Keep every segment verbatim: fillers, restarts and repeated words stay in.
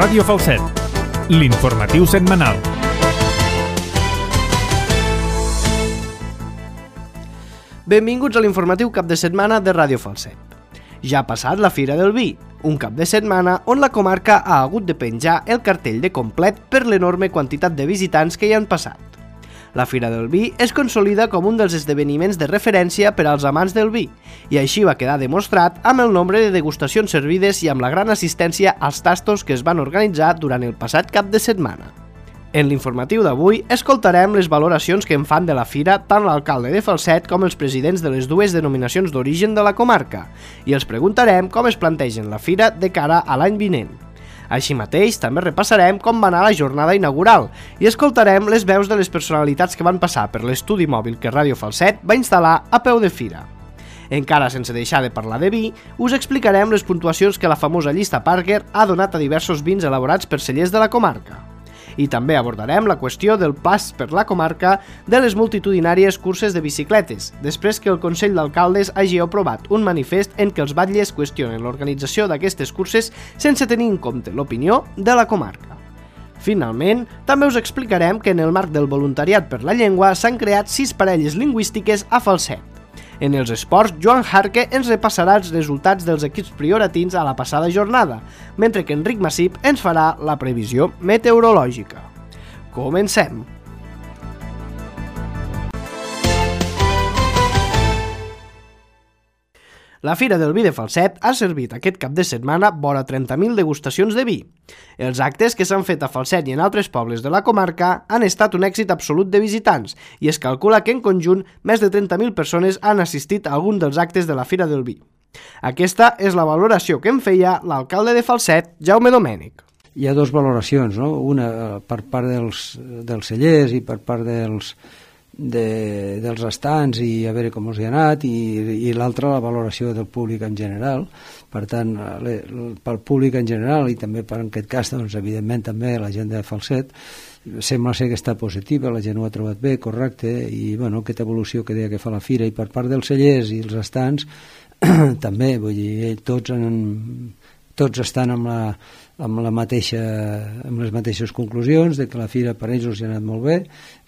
Ràdio Falset, l'informatiu setmanal. Benvinguts a l'informatiu cap de setmana de Ràdio Falset. Ja ha passat la Fira del Vi, un cap de setmana on la comarca ha hagut de penjar el cartell de complet per l'enorme quantitat de visitants que hi han passat. La Fira del Vi es consolida com un dels esdeveniments de referència per als amants del vi, i així va quedar demostrat amb el nombre de degustacions servides i amb la gran assistència als tastos que es van organitzar durant el passat cap de setmana. En l'informatiu d'avui escoltarem les valoracions que en fan de la fira tant l'alcalde de Falset com els presidents de les dues denominacions d'origen de la comarca, i els preguntarem com es plantegen la fira de cara a l'any vinent. Així mateix, també repassarem com va anar la jornada inaugural i escoltarem les veus de les personalitats que van passar per l'estudi mòbil que Ràdio Falset va instal·lar a peu de fira. Encara sense deixar de parlar de vi, us explicarem les puntuacions que la famosa llista Parker ha donat a diversos vins elaborats per cellers de la comarca. I també abordarem la qüestió del pas per la comarca de les multitudinàries curses de bicicletes, després que el Consell d'Alcaldes hagi aprovat un manifest en què els batlles qüestionen l'organització d'aquestes curses sense tenir en compte l'opinió de la comarca. Finalment, també us explicarem que en el marc del voluntariat per la llengua s'han creat sis parelles lingüístiques a Falset. En els esports, Joan Jarque ens repassarà els resultats dels equips prioratins a la passada jornada, mentre que Enric Massip ens farà la previsió meteorològica. Comencem! La Fira del Vi de Falset ha servit aquest cap de setmana vora trenta mil degustacions de vi. Els actes que s'han fet a Falset i en altres pobles de la comarca han estat un èxit absolut de visitants i es calcula que en conjunt més de trenta mil persones han assistit a algun dels actes de la Fira del Vi. Aquesta és la valoració que en feia l'alcalde de Falset, Jaume Domènech. Hi ha dues valoracions, no? Una per part dels, dels cellers i per part dels... De, dels estants i a veure com els hi ha anat i, i l'altra la valoració del públic en general. Per tant, le, pel públic en general i també per en aquest cas, doncs, evidentment també la gent de Falset sembla ser que està positiva, la gent ho ha trobat bé, correcte, i bueno, aquesta evolució que deia que fa la fira, i per part dels cellers i els estants també, vull dir, tots han, tots estan amb la amb, la mateixa, amb les mateixes conclusions de que la fira per ells els ha anat molt bé,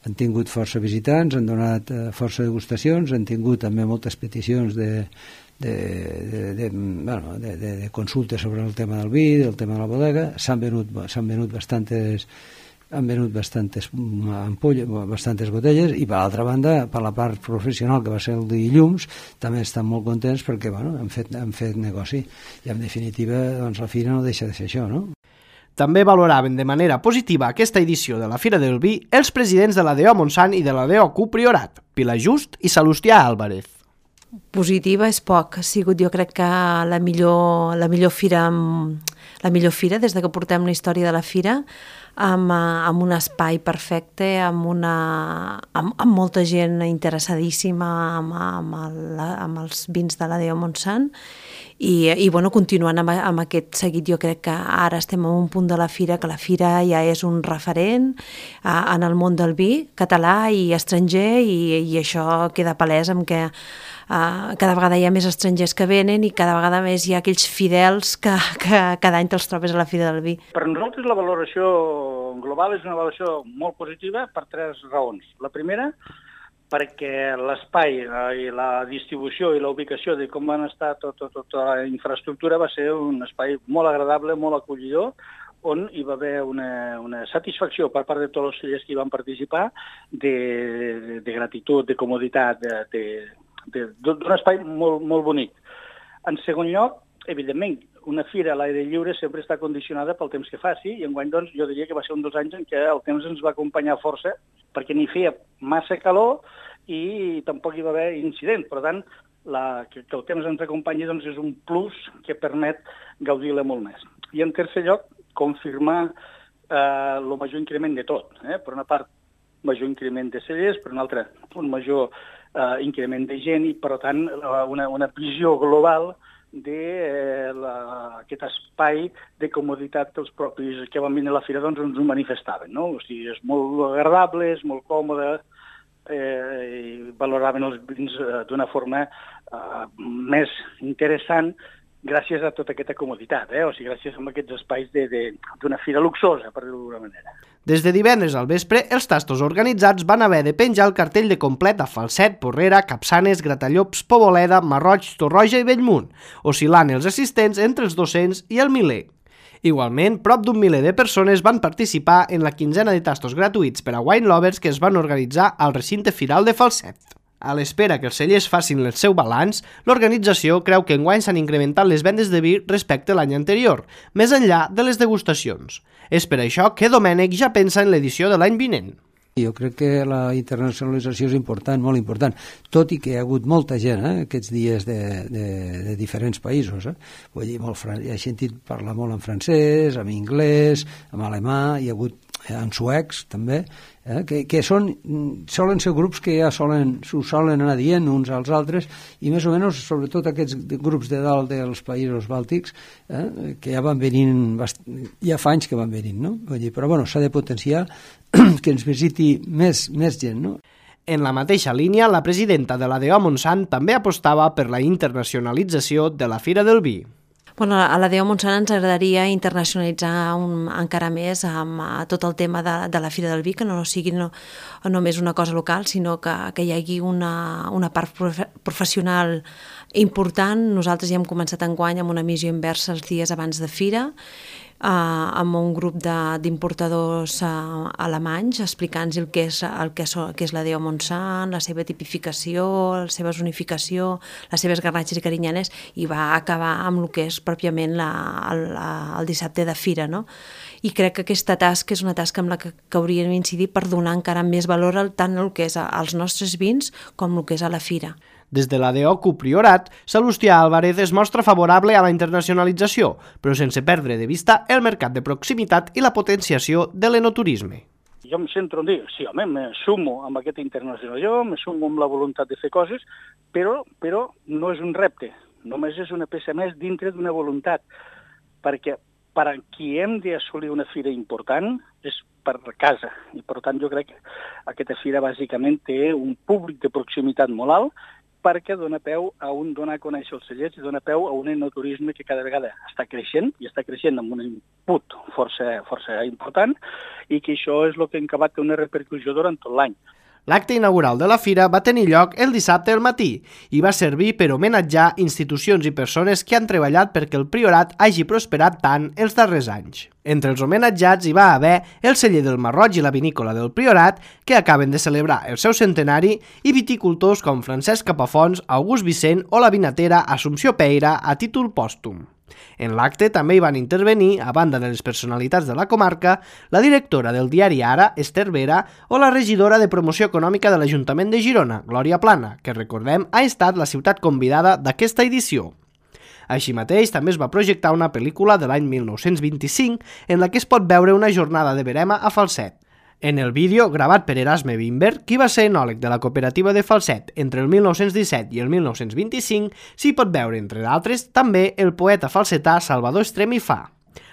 han tingut força visitants, han donat força degustacions, han tingut també moltes peticions de, de, de, de, bueno, de, de, de consultes sobre el tema del vi, del tema de la bodega, s'han venut, s'han venut bastantes han venut bastantes ampolles, bastantes botelles, i per l'altra banda, per la part professional, que va ser el dilluns, també estan molt contents perquè bueno, han, fet, han fet negoci, i en definitiva doncs, la fira no deixa de ser això, no? També valoraven de manera positiva aquesta edició de la Fira del Vi els presidents de la D O Montsant i de la D O Q Priorat, Pilar Just i Salustià Álvarez. Positiva és poc, ha sigut jo crec que la millor, la millor fira la millor fira des de que portem la història de la fira, amb, amb un espai perfecte, amb, una, amb, amb molta gent interessadíssima amb, amb, el, amb els vins de la D O Montsant, i, i bueno, continuant amb, amb aquest seguit, jo crec que ara estem en un punt de la fira que la fira ja és un referent a, en el món del vi català i estranger, i, i això queda palès amb que Uh, cada vegada hi ha més estrangers que venen i cada vegada més hi ha aquells fidels que, que cada any te'ls trobes a la Fira del Vi. Per nosaltres la valoració global és una valoració molt positiva per tres raons. La primera, perquè l'espai i la distribució i la ubicació de com van estar tota tot, tot la infraestructura va ser un espai molt agradable, molt acollidor, on hi va haver una, una satisfacció per part de tots els cellers que hi van participar de, de, de gratitud, de comoditat, de, de d'un espai molt, molt bonic. En segon lloc, evidentment, una fira a l'aire lliure sempre està condicionada pel temps que faci, i enguany doncs, jo diria que va ser un dels anys en què el temps ens va acompanyar força, perquè ni feia massa calor i tampoc hi va haver incident. Per tant, la, que, que el temps ens acompanyi doncs, és un plus que permet gaudir-la molt més. I en tercer lloc, confirmar eh, el major increment de tot. Eh? Per una part, major increment de cellers, per una altra, un major Uh, increment de gent, i per tant una, una visió global d'aquest espai de comoditat que els propis que van venir a la fira doncs, ens ho manifestaven, no? O sigui, és molt agradable, és molt còmode, eh, i valoraven els vins eh, d'una forma eh, més interessant gràcies a tota aquesta comoditat, eh? O sigui, gràcies a aquests espais d'una fira luxosa, per dir-ho d'alguna manera. Des de divendres al vespre, els tastos organitzats van haver de penjar el cartell de complet a Falset, Porrera, Capçanes, Gratallops, Poboleda, Marroig, Torroja i Bellmunt, oscil·lant els assistents entre els dos-cents i el miler. Igualment, prop d'un miler de persones van participar en la quinzena de tastos gratuïts per a wine lovers que es van organitzar al recinte firal de Falset. A l'espera que els cellers facin el seu balanç, l'organització creu que enguany s'han incrementat les vendes de vi respecte a l'any anterior, més enllà de les degustacions. És per això que Domènec ja pensa en l'edició de l'any vinent. Jo crec que la internacionalització és important, molt important, tot i que hi ha hagut molta gent eh, aquests dies de, de, de diferents països. Eh? Vull dir, molt, he sentit parlar molt en francès, en anglès, en alemà, hi ha hagut en suecs també, eh, que, que són, solen ser grups que ja solen, s'ho solen anar dient uns als altres, i més o menys, sobretot aquests grups de dalt dels països bàltics, eh, que ja van venint, ja fa anys que van venint, no? Vull dir, però bueno, s'ha de potenciar que ens visiti més, més gent, no? En la mateixa línia, la presidenta de l'A D O Montsant també apostava per la internacionalització de la Fira del Vi. Bueno, a l'A D O Montsant ens agradaria internacionalitzar un, encara més amb uh, tot el tema de, de la Fira del Vi, que no sigui no, només una cosa local, sinó que, que hi hagi una, una part profe professional important. Nosaltres ja hem començat enguany amb una missió inversa els dies abans de Fira, Uh, amb un grup d'importadors uh, alemanys explicant-nos el que és, el que, so, que és l'A D O Montsant, la seva tipificació, la seva zonificació, les seves garnatges i carinyanes, i va acabar amb el que és pròpiament la, el, el dissabte de Fira, no? I crec que aquesta tasca és una tasca amb la que, que hauríem d'incidir per donar encara més valor al, tant al que és als nostres vins com el que és a la Fira. Des de l'A D O Cupriorat, Salustià Álvarez es mostra favorable a la internacionalització, però sense perdre de vista el mercat de proximitat i la potenciació de l'enoturisme. Jo em centro en dir, sí, home, me sumo amb aquesta internacionalització, me sumo amb la voluntat de fer coses, però, però no és un repte, només és una peça més dintre d'una voluntat, perquè per a qui hem d'assolir una fira important és per casa, i per tant jo crec que aquesta fira bàsicament té un públic de proximitat molt alt, perquè dona peu a un donar a conèixer els cellers i dona peu a un enoturisme que cada vegada està creixent, i està creixent amb un input força, força important, i que això és el que ha acabat una repercussió durant tot l'any. L'acte inaugural de la fira va tenir lloc el dissabte al matí i va servir per homenatjar institucions i persones que han treballat perquè el Priorat hagi prosperat tant els darrers anys. Entre els homenatjats hi va haver el celler del Marroig i la vinícola del Priorat, que acaben de celebrar el seu centenari, i viticultors com Francesc Capafons, August Vicent o la vinatera Assumpció Peira a títol pòstum. En l'acte també hi van intervenir, a banda de les personalitats de la comarca, la directora del diari Ara, Esther Vera, o la regidora de Promoció Econòmica de l'Ajuntament de Girona, Glòria Plana, que, recordem, ha estat la ciutat convidada d'aquesta edició. Així mateix, també es va projectar una pel·lícula de l'any mil nou-cents vint-i-cinc en la que es pot veure una jornada de verema a Falset. En el vídeo, gravat per Erasme Wimberg, qui va ser enòleg de la cooperativa de Falset entre el mil nou-cents disset i el mil nou-cents vint-i-cinc, s'hi pot veure, entre d'altres, també el poeta falsetà Salvador Estrem i Fa.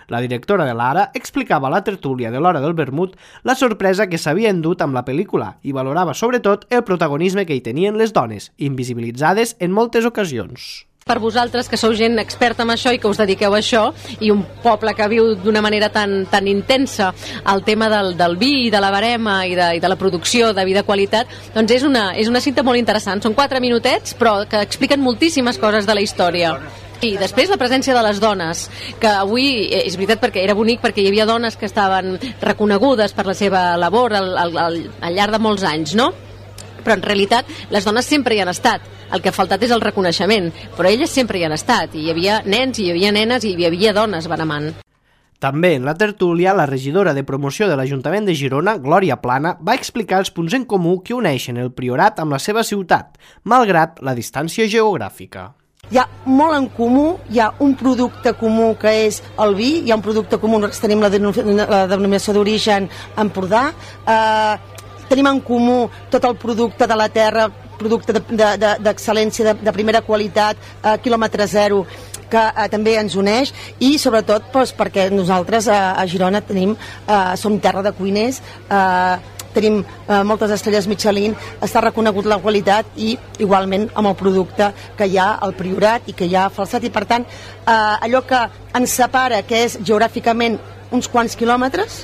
La directora de l'Ara explicava a la tertúlia de l'Hora del Vermut la sorpresa que s'havia endut amb la pel·lícula i valorava sobretot el protagonisme que hi tenien les dones, invisibilitzades en moltes ocasions. Per vosaltres, que sou gent experta en això i que us dediqueu a això, i un poble que viu d'una manera tan, tan intensa el tema del, del vi i de la barema i de, i de la producció de vi de qualitat, doncs és una, és una cinta molt interessant. Són quatre minutets, però que expliquen moltíssimes coses de la història. I després la presència de les dones, que avui és veritat perquè era bonic, perquè hi havia dones que estaven reconegudes per la seva labor al, al, al, al llarg de molts anys, no? Però en realitat les dones sempre hi han estat, el que ha faltat és el reconeixement, però elles sempre hi han estat, i hi havia nens, i hi havia nenes, i hi havia dones benemant. També en la tertúlia, la regidora de promoció de l'Ajuntament de Girona, Glòria Plana, va explicar els punts en comú que uneixen el Priorat amb la seva ciutat, malgrat la distància geogràfica. Hi ha molt en comú, hi ha un producte comú que és el vi, hi ha un producte comú, nosaltres tenim la denominació d'origen Empordà, eh, tenim en comú tot el producte de la terra, producte d'excel·lència, de, de, de primera qualitat, eh, quilòmetre zero, que eh, també ens uneix, i sobretot doncs, perquè nosaltres eh, a Girona tenim, eh, som terra de cuiners, eh, tenim eh, moltes estrelles Michelin, està reconegut la qualitat i igualment amb el producte que hi ha al Priorat i que hi ha a Falset, i per tant eh, allò que ens separa, que és geogràficament uns quants quilòmetres,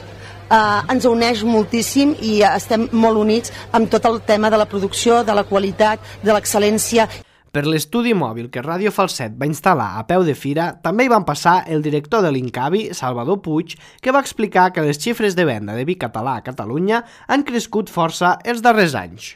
eh, ens uneix moltíssim i estem molt units amb tot el tema de la producció, de la qualitat, de l'excel·lència. Per l'estudi mòbil que Ràdio Falset va instal·lar a peu de fira, també hi van passar el director de l'Incavi, Salvador Puig, que va explicar que les xifres de venda de vi català a Catalunya han crescut força els darrers anys.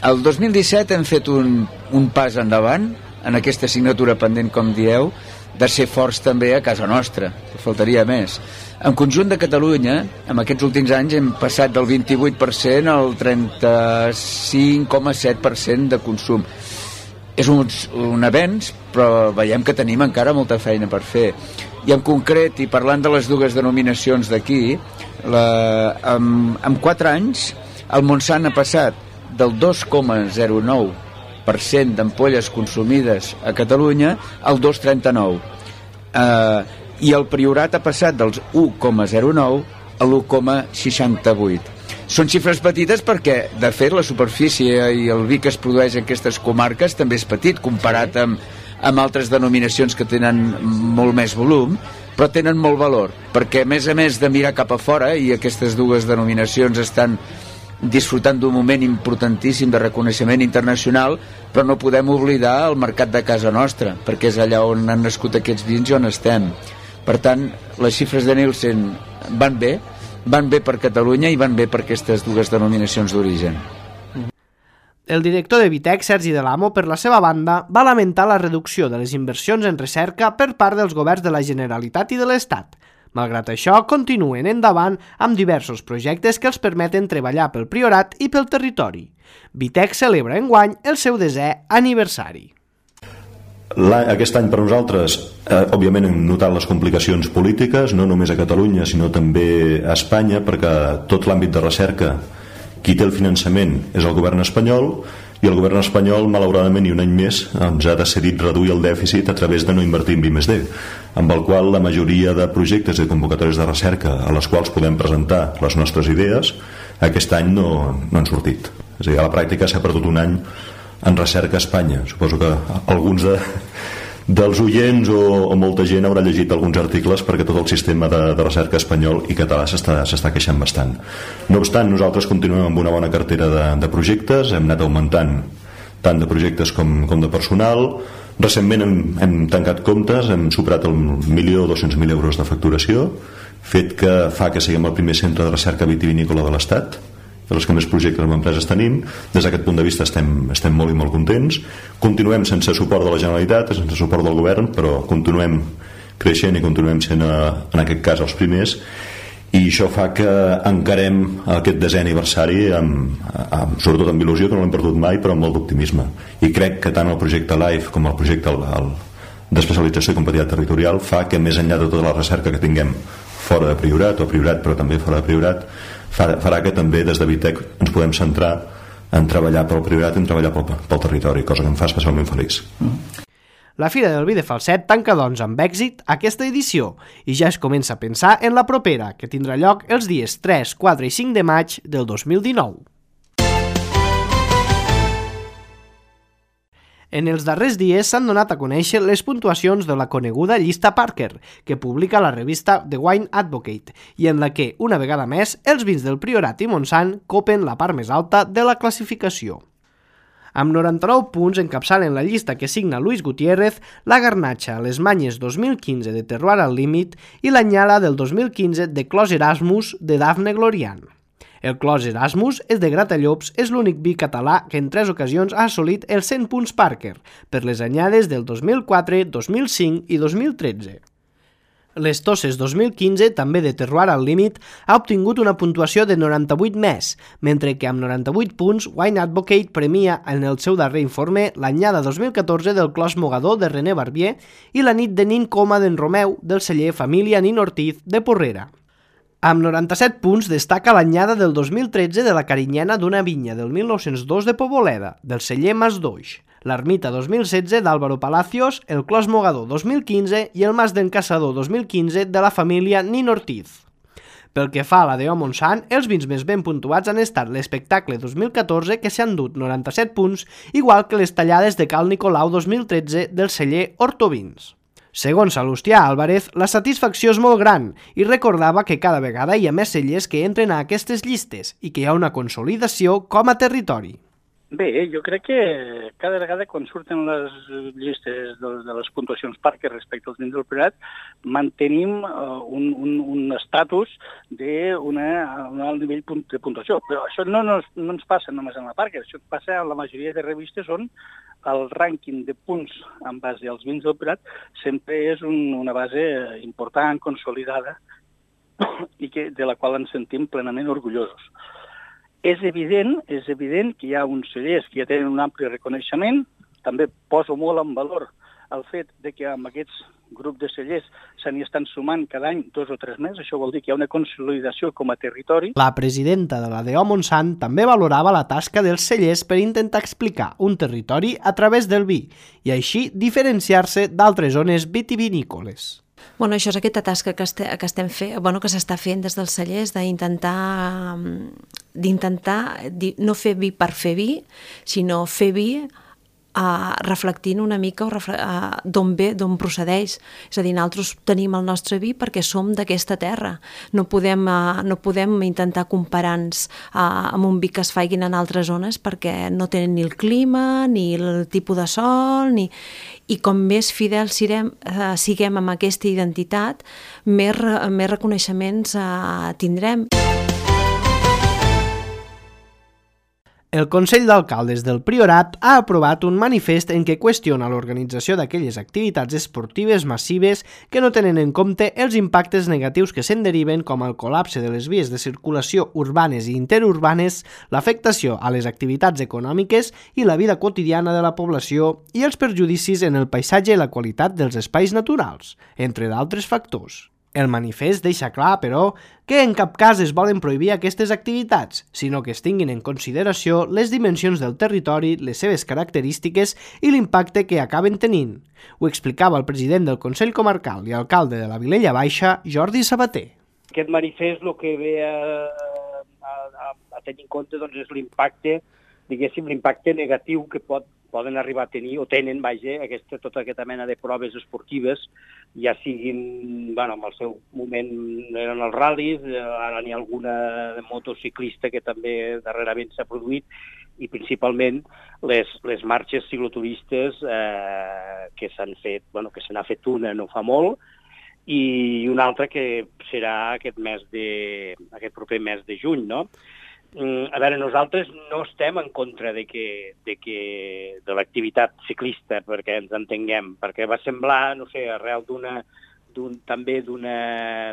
El dos mil disset hem fet un, un pas endavant en aquesta assignatura pendent, com dieu, de ser forts també a casa nostra, faltaria més. En conjunt de Catalunya, en aquests últims anys hem passat del vint-i-vuit per cent al trenta-cinc coma set per cent de consum. És un, un avenç, però veiem que tenim encara molta feina per fer. I en concret, i parlant de les dues denominacions d'aquí, en, en quatre anys el Montsant ha passat del dos coma zero nou per cent d'ampolles consumides a Catalunya al dos coma trenta-nou. Eh, I el Priorat ha passat dels u coma zero nou a l'u coma seixanta-vuit. Són xifres petites perquè, de fet, la superfície i el vi que es produeix en aquestes comarques també és petit comparat amb, amb altres denominacions que tenen molt més volum, però tenen molt valor, perquè a més a més de mirar cap a fora, i aquestes dues denominacions estan disfrutant d'un moment importantíssim de reconeixement internacional, però no podem oblidar el mercat de casa nostra, perquè és allà on han nascut aquests vins i on estem. Per tant, les xifres de Nielsen van bé, van bé per Catalunya i van bé per aquestes dues denominacions d'origen. El director de Vitec, Sergi de l'Amo, per la seva banda, va lamentar la reducció de les inversions en recerca per part dels governs de la Generalitat i de l'Estat. Malgrat això, continuen endavant amb diversos projectes que els permeten treballar pel Priorat i pel territori. Vitec celebra enguany el seu desè aniversari. Aquest any per nosaltres, eh, òbviament hem notat les complicacions polítiques, no només a Catalunya sinó també a Espanya, perquè tot l'àmbit de recerca, qui té el finançament és el govern espanyol, i el govern espanyol, malauradament, i un any més, ens ha decidit reduir el dèficit a través de no invertir en I més D, amb el qual la majoria de projectes i convocatòries de recerca a les quals podem presentar les nostres idees, aquest any no, no han sortit. És a dir, a la pràctica s'ha perdut un any en recerca a Espanya. Suposo que alguns de, dels oients o, o molta gent haurà llegit alguns articles perquè tot el sistema de, de recerca espanyol i català s'està queixant bastant. No obstant, nosaltres continuem amb una bona cartera de, de projectes, hem anat augmentant tant de projectes com, com de personal. Recentment hem, hem tancat comptes, hem superat el milió dos-cents mil euros de facturació, fet que fa que siguem el primer centre de recerca vitivinícola de l'Estat, de les que més projectes amb empreses tenim. Des d'aquest punt de vista estem, estem molt i molt contents. Continuem sense suport de la Generalitat, sense suport del govern, però continuem creixent i continuem sent, en aquest cas, els primers, i això fa que encarem aquest desè aniversari amb, amb, sobretot amb il·lusió, que no l'hem perdut mai, però amb molt d'optimisme. I crec que tant el projecte LIFE com el projecte el, el, d'especialització i competitivitat territorial fa que, més enllà de tota la recerca que tinguem fora de Priorat, o Priorat però també fora de Priorat, farà que també des de Vitec ens podem centrar en treballar pel Priorat i en treballar pel, pel territori, cosa que em fa especialment feliç. La Fira del Vi de Falset tanca doncs amb èxit aquesta edició i ja es comença a pensar en la propera, que tindrà lloc els dies tres, quatre i cinc de maig del dos mil dinou. En els darrers dies s'han donat a conèixer les puntuacions de la coneguda llista Parker, que publica la revista The Wine Advocate, i en la que, una vegada més, els vins del Priorat i Montsant copen la part més alta de la classificació. Amb noranta-nou punts encapçalen la llista que signa Luis Gutiérrez, la Garnatxa Les Manyes dos mil quinze de Terroir al Límit i l'Anyala del dos mil quinze de Clos Erasmus de Dafne Glorian. El Clos Erasmus és de Gratallops, és l'únic vi català que en tres ocasions ha assolit els cent punts Parker, per les anyades del dos mil quatre, dos mil cinc i dos mil tretze. Les Tosses dos mil quinze, també de Terroir al Límit, ha obtingut una puntuació de noranta-vuit més, mentre que amb noranta-vuit punts Wine Advocate premia en el seu darrer informe l'anyada dos mil catorze del Clos Mogador de René Barbier i la nit de Nin Coma d'en Romeu del celler Família Nin Ortiz de Porrera. Amb noranta-set punts destaca l'anyada del dos mil tretze de la Carinyena d'una vinya del mil nou-cents dos de Poboleda, del celler Mas d'Oix, l'Ermita dos mil setze d'Álvaro Palacios, el Clos Mogador dos mil quinze i el Mas d'en Caçador dos mil quinze de la família Nin Ortiz. Pel que fa a la D O Montsant, els vins més ben puntuats han estat l'Espectacle dos mil catorze, que s'hi han dut noranta-set punts, igual que les Tallades de Cal Nicolau dos mil tretze del celler Hortovins. Segons Salustià Álvarez, la satisfacció és molt gran i recordava que cada vegada hi ha més cellers que entren a aquestes llistes i que hi ha una consolidació com a territori. Bé, jo crec que cada vegada quan surten les llistes de, de les puntuacions Parker respecte als vins del Priorat, mantenim uh, un, un, un estatus d'un alt nivell de puntuació. Però això no, no, no ens passa només en la Parker, això passa en la majoria de revistes on el rànquing de punts en base als vins del Priorat sempre és un, una base important, consolidada, i que, de la qual ens sentim plenament orgullosos. És evident, és evident que hi ha uns cellers que ja tenen un ampli reconeixement. També poso molt en valor el fet de que amb aquests grups de cellers se n'hi estan sumant cada any dos o tres més. Això vol dir que hi ha una consolidació com a territori. La presidenta de la D O Montsant també valorava la tasca dels cellers per intentar explicar un territori a través del vi i així diferenciar-se d'altres zones vitivinícoles. Bueno, això és aquesta tasca que, este, que estem fent, bueno, que s'està fent des dels cellers, d'intentar d'intentar no fer vi per fer vi, sinó fer vi Uh, reflectint una mica uh, d'on ve, d'on procedeix. És a dir, nosaltres tenim el nostre vi perquè som d'aquesta terra. No podem, uh, no podem intentar comparar-nos uh, amb un vi que es faiguin en altres zones perquè no tenen ni el clima, ni el tipus de sol, ni... i com més fidels siguem, uh, siguem amb aquesta identitat, més, més reconeixements uh, tindrem. El Consell d'Alcaldes del Priorat ha aprovat un manifest en què qüestiona l'organització d'aquelles activitats esportives massives que no tenen en compte els impactes negatius que se'n deriven, com el col·lapse de les vies de circulació urbanes i interurbanes, l'afectació a les activitats econòmiques i la vida quotidiana de la població i els perjudicis en el paisatge i la qualitat dels espais naturals, entre d'altres factors. El manifest deixa clar, però, que en cap cas es volen prohibir aquestes activitats, sinó que es tinguin en consideració les dimensions del territori, les seves característiques i l'impacte que acaben tenint. Ho explicava el president del Consell Comarcal i alcalde de la Vilella Baixa, Jordi Sabater. Aquest manifest el que ve a, a, a tenir en compte doncs, és l'impacte, diguéssim, l'impacte negatiu que pot, poden arribar a tenir, o tenen, vaja, aquesta, tota aquesta mena de proves esportives, ja siguin, bueno, en el seu moment eren els ral·lis, ara n'hi ha alguna de motociclista que també darrerament s'ha produït, i principalment les, les marxes cicloturistes eh, que s'han fet, bueno, que se n'ha fet una no fa molt, i una altra que serà aquest mes de, aquest proper mes de juny, no? A veure, nosaltres no estem en contra de, que, de, que, de l'activitat ciclista, perquè ens entenguem, perquè va semblar, no sé, arrel d'una, d'un, també d'una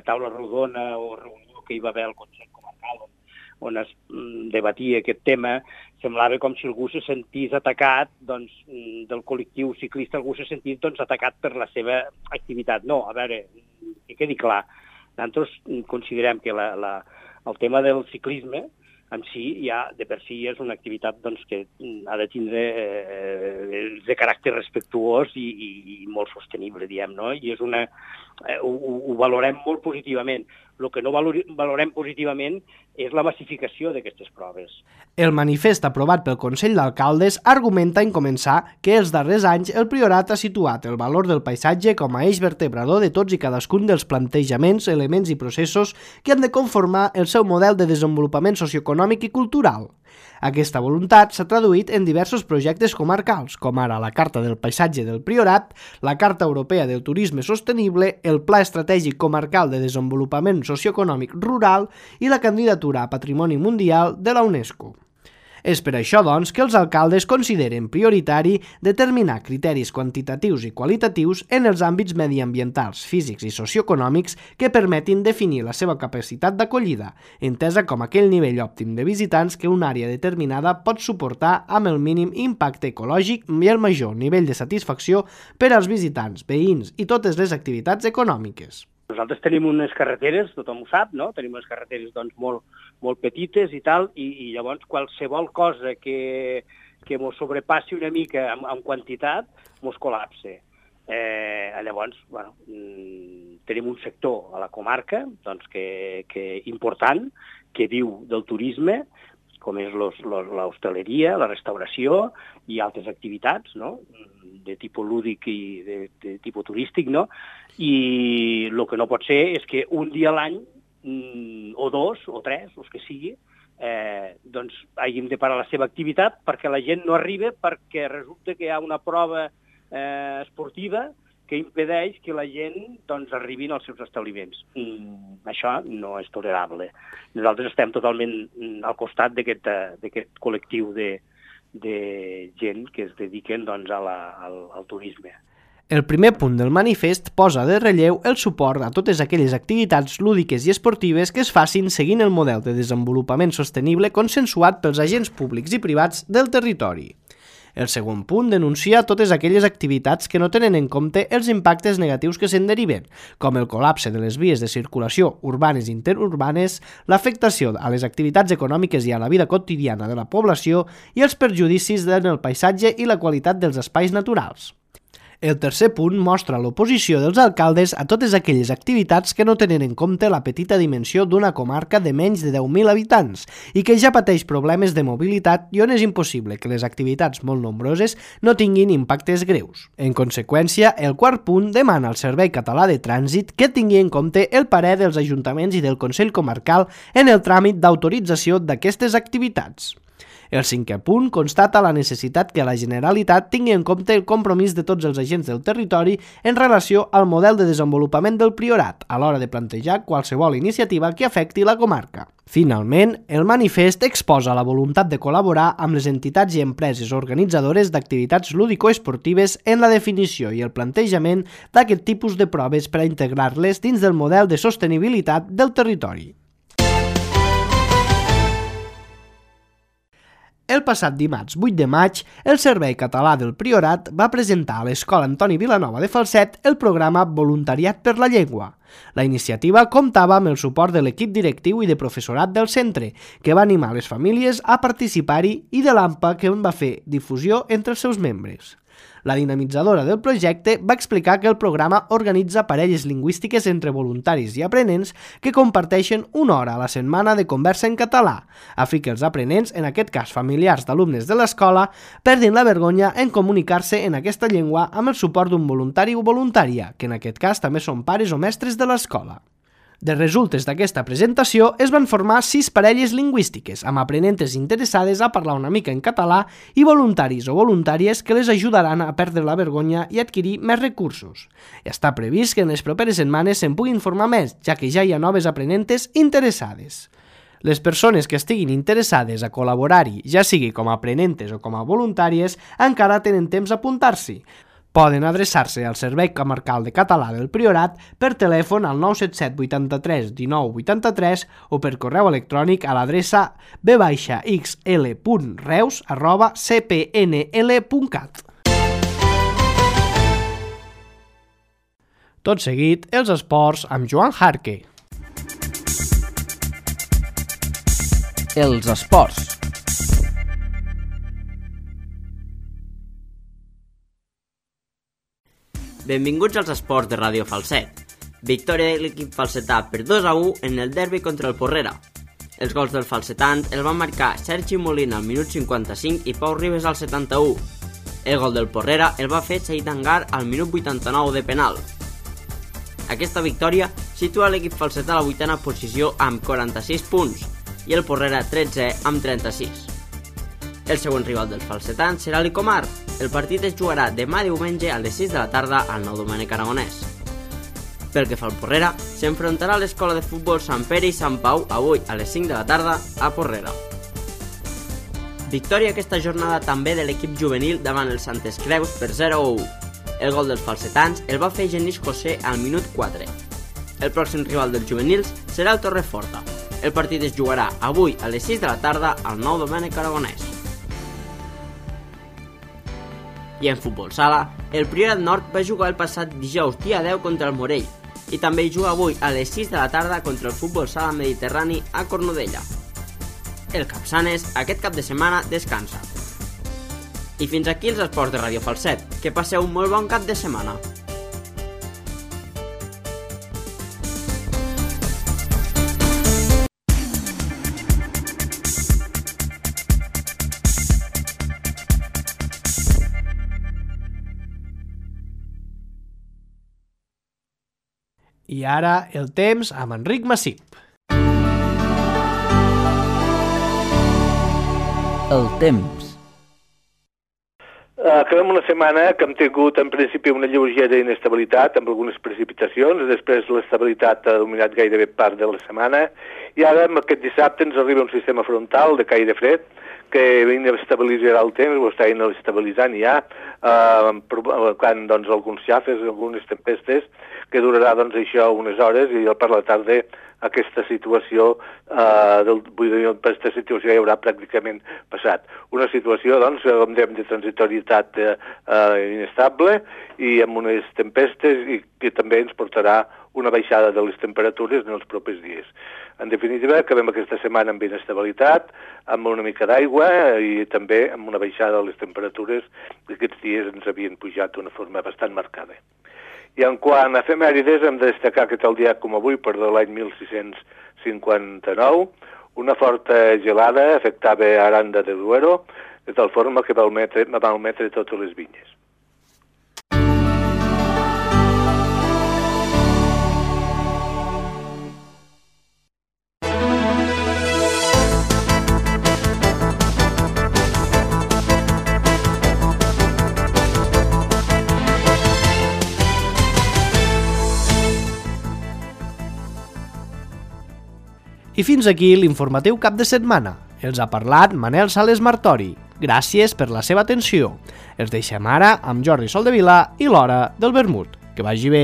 taula rodona o reunió que hi va haver al Consell Comarcal, on, on es mm, debatia aquest tema, semblava com si algú se sentís atacat, doncs, del col·lectiu ciclista, algú se sentís doncs, atacat per la seva activitat. No, a veure, que quedi clar, nosaltres considerem que la, la, el tema del ciclisme en si ja de per si és una activitat doncs, que ha de tindre eh, de caràcter respectuós i, i, i molt sostenible, diem, no? I és una, eh, ho, ho valorem molt positivament. El que no valorem positivament és la massificació d'aquestes proves. El manifest aprovat pel Consell d'Alcaldes argumenta en començar que els darrers anys el Priorat ha situat el valor del paisatge com a eix vertebrador de tots i cadascun dels plantejaments, elements i processos que han de conformar el seu model de desenvolupament socioeconòmic i cultural. Aquesta voluntat s'ha traduït en diversos projectes comarcals, com ara la Carta del Paisatge del Priorat, la Carta Europea del Turisme Sostenible, el Pla Estratègic Comarcal de Desenvolupament Socioeconòmic Rural i la candidatura a Patrimoni Mundial de la UNESCO. És per això, doncs, que els alcaldes consideren prioritari determinar criteris quantitatius i qualitatius en els àmbits mediambientals, físics i socioeconòmics que permetin definir la seva capacitat d'acollida, entesa com aquell nivell òptim de visitants que una àrea determinada pot suportar amb el mínim impacte ecològic i el major nivell de satisfacció per als visitants, veïns i totes les activitats econòmiques. Nosaltres tenim unes carreteres, tothom ho sap, no? Tenim unes carreteres doncs, molt, molt petites i tal, i, i llavors qualsevol cosa que, que mos sobrepassi una mica en, en quantitat mos col·lapse. Eh, llavors, bueno, tenim un sector a la comarca doncs, que, que important, que viu del turisme, com és l'hostaleria, la restauració i altres activitats, no?, de tipus lúdic i de, de tipus turístic, no? I el que no pot ser és que un dia a l'any, o dos, o tres, els que sigui, eh, doncs hàgim de parar la seva activitat perquè la gent no arriba, perquè resulta que hi ha una prova eh, esportiva que impedeix que la gent doncs, arribin als seus establiments. Mm, això no és tolerable. Nosaltres estem totalment al costat d'aquest col·lectiu de, de gent que es dediquen doncs, a la, al, al turisme. El primer punt del manifest posa de relleu el suport a totes aquelles activitats lúdiques i esportives que es facin seguint el model de desenvolupament sostenible consensuat pels agents públics i privats del territori. El segon punt denuncia totes aquelles activitats que no tenen en compte els impactes negatius que se'n deriven, com el col·lapse de les vies de circulació urbanes i interurbanes, l'afectació a les activitats econòmiques i a la vida quotidiana de la població i els perjudicis en el paisatge i la qualitat dels espais naturals. El tercer punt mostra l'oposició dels alcaldes a totes aquelles activitats que no tenen en compte la petita dimensió d'una comarca de menys de deu mil habitants i que ja pateix problemes de mobilitat i on és impossible que les activitats molt nombroses no tinguin impactes greus. En conseqüència, el quart punt demana al Servei Català de Trànsit que tingui en compte el parer dels ajuntaments i del Consell Comarcal en el tràmit d'autorització d'aquestes activitats. El cinquè punt constata la necessitat que la Generalitat tingui en compte el compromís de tots els agents del territori en relació al model de desenvolupament del Priorat a l'hora de plantejar qualsevol iniciativa que afecti la comarca. Finalment, el manifest exposa la voluntat de col·laborar amb les entitats i empreses organitzadores d'activitats lúdico-esportives en la definició i el plantejament d'aquest tipus de proves per a integrar-les dins del model de sostenibilitat del territori. El passat dimarts vuit de maig, el Servei Català del Priorat va presentar a l'Escola Antoni Vilanova de Falset el programa Voluntariat per la Llengua. La iniciativa comptava amb el suport de l'equip directiu i de professorat del centre, que va animar les famílies a participar-hi, i de l'A M P A, que en va fer difusió entre els seus membres. La dinamitzadora del projecte va explicar que el programa organitza parelles lingüístiques entre voluntaris i aprenents que comparteixen una hora a la setmana de conversa en català, a fi que els aprenents, en aquest cas familiars d'alumnes de l'escola, perdin la vergonya en comunicar-se en aquesta llengua amb el suport d'un voluntari o voluntària, que en aquest cas també són pares o mestres de l'escola. De resultes d'aquesta presentació es van formar sis parelles lingüístiques, amb aprenentes interessades a parlar una mica en català i voluntaris o voluntàries que les ajudaran a perdre la vergonya i adquirir més recursos. Està previst que en les properes setmanes se'n puguin formar més, ja que ja hi ha noves aprenentes interessades. Les persones que estiguin interessades a col·laborar-hi, ja sigui com a aprenentes o com a voluntàries, encara tenen temps a apuntar-s'hi. Poden adreçar-se al Servei Comarcal de Català del Priorat per telèfon al nou set set vuitanta-tres dinou vuitanta-tres o per correu electrònic a l'adreça b x l punt reus arroba c p n l punt cat. Tot seguit, els esports amb Joan Jarque. Els esports. Benvinguts als esports de Ràdio Falset. Victòria de l'equip falsetà per dos a u en el derbi contra el Porrera. Els gols del falsetant el van marcar Sergi Molina al minut cinquanta-cinc i Pau Ribes al setanta-u. El gol del Porrera el va fer Said Angar al minut vuitanta-nou de penal. Aquesta victòria situa l'equip falsetà a la vuitena posició amb quaranta-sis punts i el Porrera tretze amb trenta-sis. El següent rival del falsetant serà l'Icomar. El partit es jugarà demà diumenge a les sis de la tarda al Nou Domènec Aragonès. Pel que fa al Porrera, s'enfrontarà a l'Escola de Futbol Sant Pere i Sant Pau avui a les cinc de la tarda a Porrera. Victòria aquesta jornada també de l'equip juvenil davant els Santes Creus per zero a u. El gol dels falsetans el va fer Genís José al minut quatre. El pròxim rival dels juvenils serà el Torreforta. El partit es jugarà avui a les sis de la tarda al Nou Domènec Aragonès. I en futbol sala, el Priorat Nord va jugar el passat dijous dia deu contra el Morell i també hi juga avui a les sis de la tarda contra el futbol sala mediterrani a Cornudella. El Capçanes aquest cap de setmana descansa. I fins aquí els esports de Ràdio Falset. Que passeu un molt bon cap de setmana. I ara el temps amb Enric Massip. El temps. Acabem una setmana que hem tingut en principi una lleugera inestabilitat amb algunes precipitacions, després l'estabilitat ha dominat gairebé part de la setmana i ara amb aquest dissabte ens arriba un sistema frontal de caire fred que inestabilitzarà el temps, ho està inestabilitzant ja, eh, provocant doncs, alguns xafes, algunes tempestes, que durarà doncs, això unes hores i per la tarda aquesta situació, eh, del, vull dir, aquesta situació ja haurà pràcticament passat. Una situació, doncs, com dèiem, de transitorietat eh, eh, inestable i amb unes tempestes i que també ens portarà una baixada de les temperatures en els propers dies. En definitiva, acabem aquesta setmana amb inestabilitat, amb una mica d'aigua i també amb una baixada de les temperatures que aquests dies ens havien pujat d'una forma bastant marcada. I en quant a efemèrides, hem de destacar que tal dia com avui, per de l'any mil sis-cents cinquanta-nou, una forta gelada afectava Aranda de Duero, de tal forma que va malmetre, va malmetre totes les vinyes. I fins aquí l'informatiu cap de setmana. Els ha parlat Manel Sales Martori. Gràcies per la seva atenció. Els deixem ara amb Jordi Soldevila i l'Hora del Vermut. Que vagi bé.